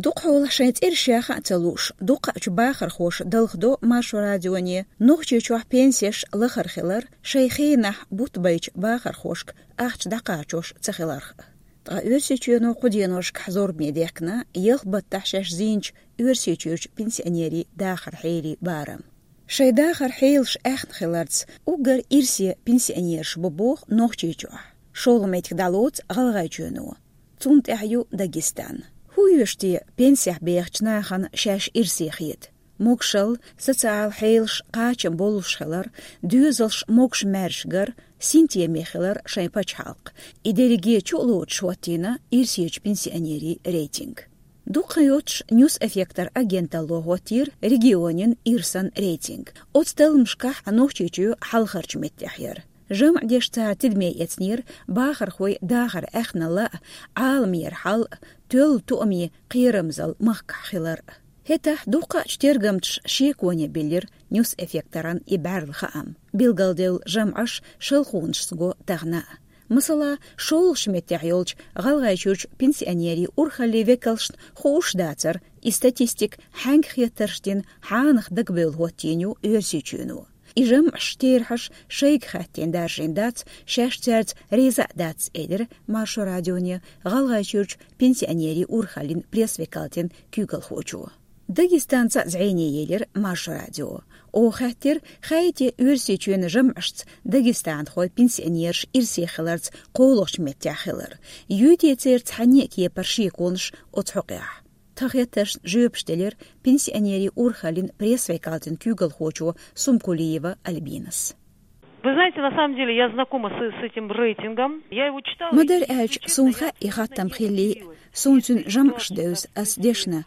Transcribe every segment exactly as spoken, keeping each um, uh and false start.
Дукхахьолахь шайн цӀераш яха а ца лууш, дукхачу бахархоша далхадо Маршо радионе Нохчийчохь пенсеш лахара хилар шайн хенахь бутт байчу бахархошка ахча дӀакхачош ца хиларх. Ткъа Оьрсийчоьно кху деношкахь зорбане дехкина ялх баттахь шаьш зийначу Оьрсийчуьрчу пенсионерийн дахаран хьелий барам. Шайн дахаран хьелаш аьхна хиларца уггар ирсе пенсионераш бу боху Нохчийчохь. ШолгӀа меттиг дӀалоцу ГӀалгӀайчоьно. Цунна тӀаьхьа ю Дагестан. ХӀун оьшу те пенсехь бехачу нахана шаьш ирсе хета? Могушалла, социал хьелаш кхачам боллуш хилар, доьзалш могуш-маьрша гар, синтеме хилар шайн пачхьалкх. И дерриге чу а лоцуш хӀоттийна ирсечу пенсионерийн рейтинг. Дукха йоцуш Ньюс Эффектор агенталло хӀоттийра регионийн ирсан рейтинг. Оцу талламашкахь Нохчийчоь хьалхарчу меттехь яра. ЖамӀ деш цара тидаме эцнера бахархойн дахаран аьхналла а, Ӏаламера хьал а, тоьлла тоамийн кхерамзалла махкахь хилар а. ХӀетахь дукхачу тергамчаша шеконе биллира Ньюс Эффекторан и бӀаьрла хаам. Билгалделла жамӀаш шалхонашца го тахана а. Масала, шолгӀачу меттехь йолчу ГӀалгӀайчуьрчу пенсионерийн урхаллин векалшна хууш дацара, и статистика хьаьнга хеттарш дина хьанах дагабевлла хӀоттийна ю Оьрсийчоьно. И жамӀаш, терахьаш шайга хаьттина даржийна дац, шаьш цаьрца реза а дац, элира Маршо радионе ГӀалгӀайчуьрчу пенсионерийн урхаллин пресс-векалтин куьйгалхочо. Дагестанца а зӀене елира Маршо радио. Оха хаьттира, хаьий те Оьрсийчоьнан жамӀашца дагестанхойн пенсионераш ирсе хиларца кхоалгӀачу меттехь хилар. Юй те церан цхьанне а кепара шеконаш оцу хьокъехь? Тхан хеттаршна жоьпаш делира пенсионерийн урхаллин пресс-векалтин куьйгалхочо Сумкулиева Альбинас. Вы знаете, на самом деле я знакома с, с этим рейтингом. Я его читала. Ма-дарра аьлча, суна хаьа и хаттам хиллий, суна цуьнан жамӀаш девза ас дешна.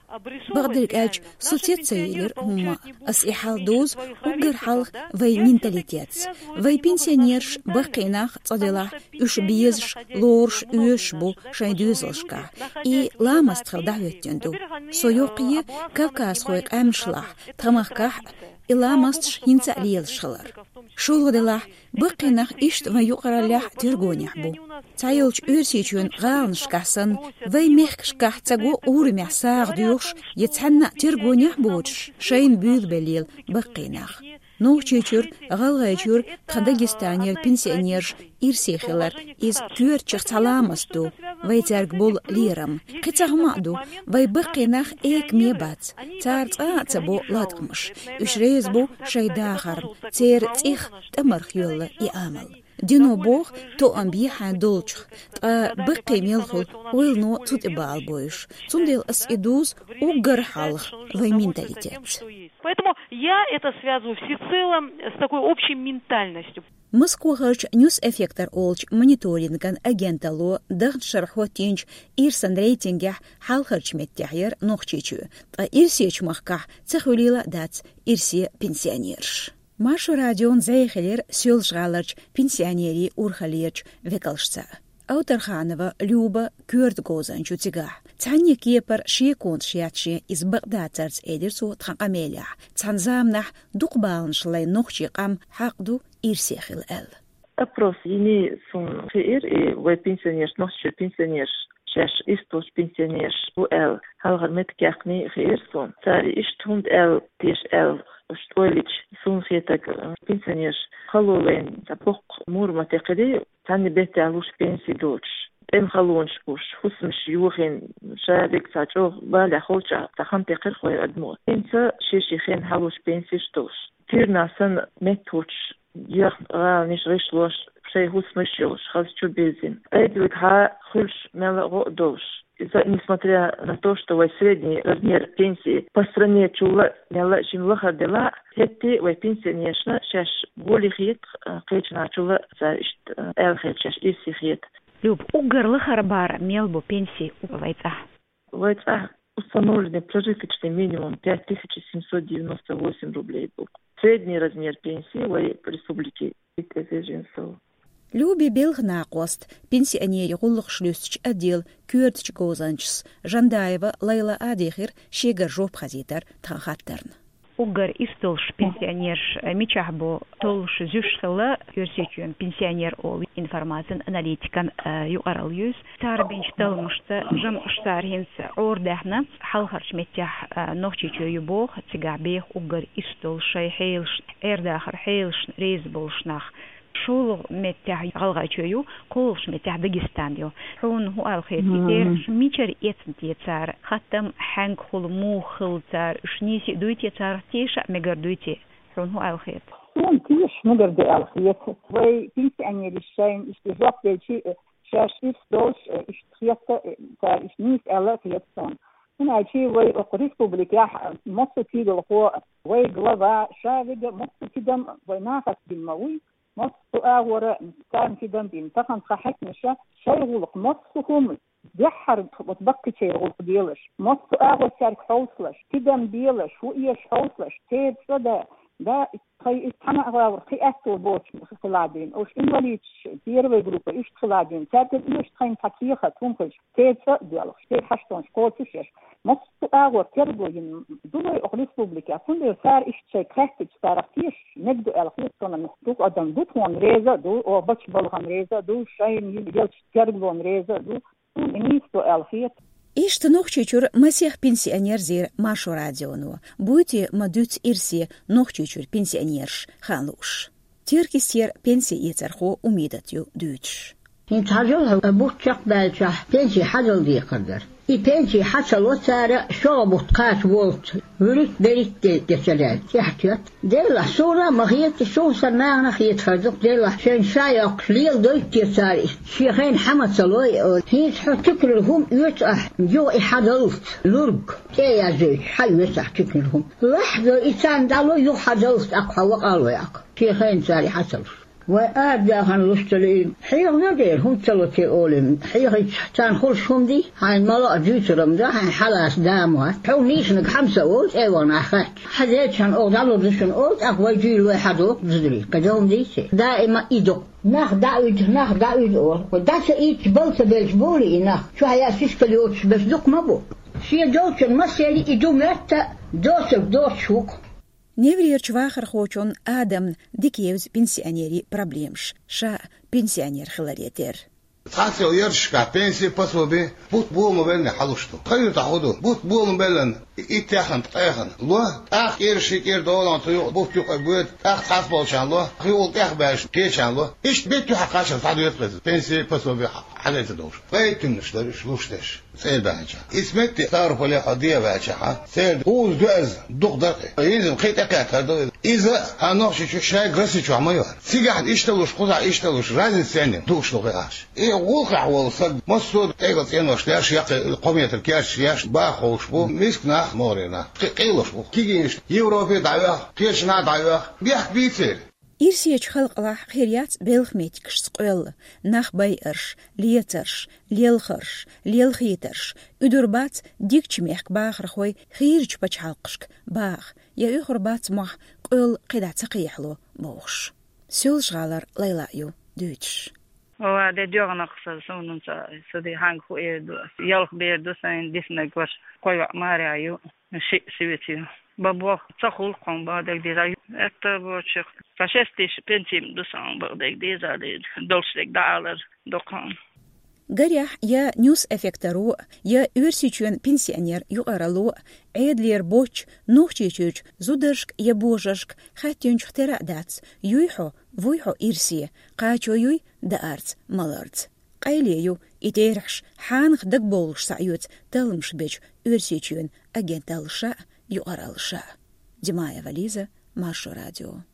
Бакъдерг аьлча, со цец ца елира хӀумма. Ас и хьал дузу уггар хьалха вайн менталитетца. Вайн пенсионераш, баккхий нах, цкъа делахь, уьш безаш, лоруш, оьшуш бу шайн доьзалшкахь. И ламаст хила дӀахӀоьттина ду. Со йоккхае Кавказхойн къаьмнашлахь, тхан махкахь а и ламасташ хӀинца а лелаш хилар. ШолгӀа делахь, баккхий нах иштта вайн юкъараллехь а тергонехь бу. Цхьайолчу Оьрсийчоьнан гӀаланашкахь санна, вайн мехкашкахь ца го урамехь сагӀа доьхуш я цхьанна а тергонехь боцуш, шайна буьйлабелла баккхий нах. Нохчийчуьра, ГӀалгӀайчуьра, тхан Дагестанера пенсионераш ирсе хилар, иза коьртачех цхьа ламаст ду, вай цаьрга болу лерам. Кхин цхьа хӀума а ду, вай баккхий нах экаме бац, цара цкъа а ца бо латкъамаш. Уьш реза бу шайн дахарна, церан цӀих, тӀамарх йолла и амал. Дино боху, тоам бе хьайн долчух, ткъа баккхий мел хуьлу, ойлано цу тӀе бала бойуш. Цундела ас и дузу уггар хьалха вайн менталитетца. Поэтому я это связываю всецело с такой общей ментальностью. Москвахарчу Ньюс Эффектор олучу мониторинган агенталло даханчу шарахь хӀоттийначу ирсан рейтингехь хьалхарчу меттехь яра Нохчийчоь, ткъа ирсечу махкахь ца хуьлийла а дац ирсе пенсионераш. Маршо радион зӀе хилира Соьлжа-ГӀаларчу пенсионерийн урхаллерчу векалшца. Авторханова Люба коьрта говзанча ю цигахь. Цхьанне кепара шеконаш яц шен иза бакъдацарца, элира цо тхан къамелехь. Цхьана заманахь дукха баланаш лайна нохчийн къам хьакъ ду ирсе хила аьлла. Опрос йиний суна хиира, и вай пенсионераш, Нохчийчуьра пенсионераш, шаьш ирс долчу пенсионераш бу аьлла, хьалхара меттиг яьккхиний хиира суна. Цара иштта хӀунда аьлла, теша аьлла, уьш тӀойлича, суна хетарг, пенсионераш хало лайна цхьа боккха мур ма-текхирий, цхьанне беттехь луш пенси доцуш, тӀеман халонаш гуш, хӀусамаш йохийна, ша дерг цхьа чӀогӀа балехь холчахь цхьа хан текхира кхойн адамо. ХӀинца шен-шен хенахь луш пенсиш долуш. Куьйранна санна меттахӀуттуш, яхна гӀаланаш гӀишлош, шайн хӀусамаш йолуш, хаза чу бирзина. Айдилгахьа хуьлуш мелла а гӀо а долуш. Иза, несмотря на то, что вай средний размер пенсии по стране чулла а, мелла а шина лахара делахь а, хӀетте а вай пенсионерашна шаьш гули хета, а, кхечанхьа чулла а цара иштта, а, аьлла хета, шаьш ирсе хета. Люб, уггар лахара бара мел бу пенси вай цӀахь? Вай цӀахь установленный прожиточный минимум пять тысяч семьсот девяносто восемь рублей бу. Средний размер пенсии вай республики пять тысяч семьсот. Люби белхан накъост пенсионерийн гӀуллакхаш луьстучу отделан коьртачу говзанчас Жандаева Лайла а дийхира шегара жоп хазийтар тхан хаттарна. Уггар ирс долуш пенсионераш мичахь бу, толлуш зуьйш хилла Оьрсийчоьнан пенсионер олу информацин аналитикан юкъаралла ю иза. Цара бинчу талламашца жамӀаш цара хӀинца Ӏорадаьхна, хьалхарчу меттехь Нохчийчоь ю боху, цигахь беха уггар ирс долуш, шайн хьелашна, Ӏер-дахаран хьелашна реза болуш нах. ШолгӀа меттехь ГӀалгӀайчоь ю, кхоалгӀачу меттехь Дагестан ю. Хьуна хӀун аьлла хета, и терахьаш мичара эцна те цара? Хаттам хьаьнга хуьлу, муха хилла цара? Уьш нийса а дуй те, царах теша а мегар дуй те? Хьуна хӀун аьлла хета? Суна теша мегар ду аьлла хета. Вай пенсионераш шайна иштта жоп делчи, шаьш ирс долуш, иштта хета, цара иштта нийса аьлла а хета суна. ХӀунда аьлча вай окху республикехь массо а куьйгалхо, вай глава, ша вега массо а тидам вай нахаца дина ма вуй. Массо а агӀора царна тидам бина, тахана тхан хьаькамаша шайн гӀуллакх, массо а хӀума, дуьххьара вот баккхийчеран гӀуллакх делаш, массо а агӀор цаьрга хьовсалаш, тидам белаш, хӀун эша хьовсалаш, церан цӀа дан, да, тхайн иза цхьана а гӀавар кхин аьтто боцуш хила дийна, уьш инвалидаш, первой группа, иштта хила дийна, цаьргара оьшу тхайна цхьа кехат, хӀума хилча, церан цӀа а доьлхуш, церан хьаштонаш кхочушъеш, массо а агӀор терго йина ду вай окху республикехь, цундела цара иштта шайга хаьттича, царах теша мега ду аьлла хета суна. Дукха адам ду тхуна реза а ду, о, бачу балхана реза а ду, шайна йина елча тергалонна реза а ду, суна и нийса ду аьлла хета. Иштта Нохчийчуьра масех пенсионер зийра Маршо радионо. Буй те ма дуьйцу ирсе Нохчийчуьра пенсионераш, хан лууш. Теркйистера пенси эцархо Умидат ю дуьйцуш. ХӀинца хьажал хьо, бутт чекхбаьллачохь пенси хьажал декхар дара. И пенси хьа ца ло цара, шолгӀа бутт кхача волчу вуьрхӀитта-берхӀитта де ца лаьцна, тӀаьхьатоьтту. Делахь, суна а ма хета, суна сан нахана а хетахар ду-кх, делахь, шайна ша йоккхуш леладойту те цара и, шен хенахь хьа ма ца лой, олий. ХӀинца хьо туьканал хӀума оьцу ахь, юха и хьадаллалц, лург, тӀе а яздойтуш, хьаоьцу ахь туьканал хӀума. Лахьадо и царна дӀало, юха хьадаллалц, тӀаккха хьо вакъа а лой ахь. Шен хенахь цара и хьа ца луш. Вай арадаьхна луш ца лиъна, хьехна дера, хӀунда ца ло те олий, хьехийча царна хуьлуш хӀума дий, хьайна ма-лоӀа дуьйцург ма ду, хьайна хьалаца да ма вац. Хьо нийсаниг хьа ма ца олу, цӀе вахана ахь хаьттича. Хьан дечан оха дӀалур ду шуна олу, тӀаккха вай дуьйна лой хьадо, зударий, кхин дан хӀума дий те? Даима и ду-кх. Нах дӀа а уьду, нах дӀа а уьду олу. Вай дӀа ца ийцча, бала ца белча болий и нах? Чохь яа сискал йоцуш берш дукха ма бу. Шен долчун массеран и ду моьтту, доцург доцуш ву-кх. Неврерчу вахархочунна Адамна дика евза пенсионерийн проблемаш, ша а пенсионер хиларе терра. Цхьацца йолу ярташкахь пенсий, пособи бутт бо ма беллина хьалуш ду. Тхан юьртахь хӀун ду? Бутт бо ма беллина, итт яхана, ткъа яхана ло, тӀаккха кӀира ши кӀира долахь цу юкъа бутт юкъа боьду, тӀаккха цхьацца болчарна ло, кхин волу тӀехбаьлча кхечарна ло. Иштта беттан юьхьа кхаччалц схьадоьду-кх иза, пенсий, пособи хьадайта долуш. Пайда туьманаш дара уьш луш дерш. ЦӀе баьхьначохь. Иза метте Ставрополехь дӀа а ваьлчахьа, церан кхузза ду иза, дукха дара. ХӀинца кхин тӀекхеттар ду иза. Иза хьан Нохчийчу шайга Росси чохь ма йора. Цигахь иштта луш, кхузахь иштта луш, разница церан дукхаш ду кхин ахча. И гӀуллакхехь волу стаг массо а тӀегӀа цӀенош деш, яккхий кхо метр керташ еш, баха ховш бу, миска нах, могӀарера нах, кхин къийлуш бу. Кегийнаш Европе дӀаоьху, кхечанхьа дӀаоьху, бехк бийцера. Ирсечу халкъалахь хир яц белхан меттигашца къоьлла, нах байарш, лецарш, лелхарш, лелхийтарш, уьдур бац дикачу мехкан бахархой хийрачу пачхьалкхашка баха я оьхур бац мохь къоьлла кхидӀа ца кхехьало бохуш. Соьлжа-ГӀалара Лайла ю дуьйцуш. Ва де доьгӀнах сан, суна ца, ца де хьанга хӀу эр ду ас. Ялх бер ду сайн, диснарг ваша, кхо йоӀ марехь ю, шиъ сивица ю. Бан боху, ца хуьлу-кх хьуна бан дерг деза. Этта бочух, сан шестиш пенсим ду сан бан дерг деза, деза. Долуш дерг дӀаалар ду-кх хьуна. Гарехь, я Ньюс Эффекторо, я Оьрсийчоьнан пенсионер юкъаралло, Ӏедалера боцчу Нохчийчуьрчу зударшка я божаршка хаьттинчух тера а дац, юй хьо, вуй хьо ирсе, кхачо юй даарца, маларца. Къайле ю и терахьаш хьанах дагабовлуш схьаоьцу талламаш бечу Оьрсийчоьнан агенталлаша а, юкъараллаша а. Димаева Лиза, Маршо радио.